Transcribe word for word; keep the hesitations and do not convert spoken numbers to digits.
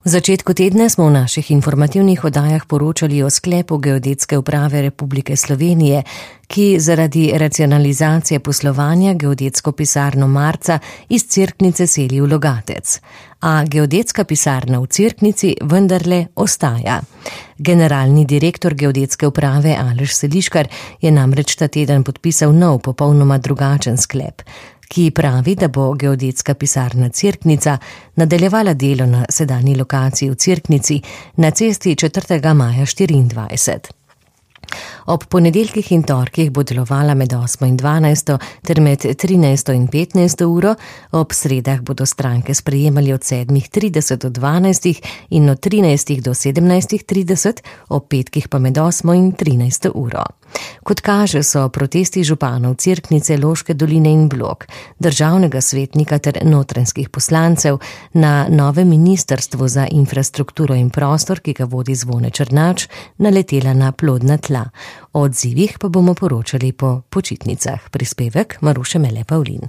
V začetku tedna smo v naših informativnih oddajah poročali o sklepu Geodetske uprave Republike Slovenije, ki zaradi racionalizacije poslovanja geodetsko pisarno Marca iz Cerknice seli v Logatec. A geodetska pisarna v Cerknici vendarle ostaja. Generalni direktor Geodetske uprave Aleš Seliškar je namreč ta teden podpisal nov, popolnoma drugačen sklep, ki pravi, da bo geodetska pisarna Cerknica nadaljevala delo na sedanji lokaciji v Cerknici na cesti četrtega maja štiriindvajset. Ob ponedeljkih in torkih bo delovala med osmo in dvanajsto ter med trinajsto in petnajsto uro, ob sredah bodo stranke sprejemali od sedmih trideset do dvanajstih in od trinajstih do sedemnajstih trideset, ob petkih pa med osmo in trinajsto uro. Kot kaže, so protesti županov Cerknice, Loške doline in Blok, državnega svetnika ter notranjskih poslancev na novem ministrstvu za infrastrukturo in prostor, ki ga vodi Zvone Černač, naletela na plodna tla. O odzivih pa bomo poročali po počitnicah. Prispevek Maruše Mele Pavlin.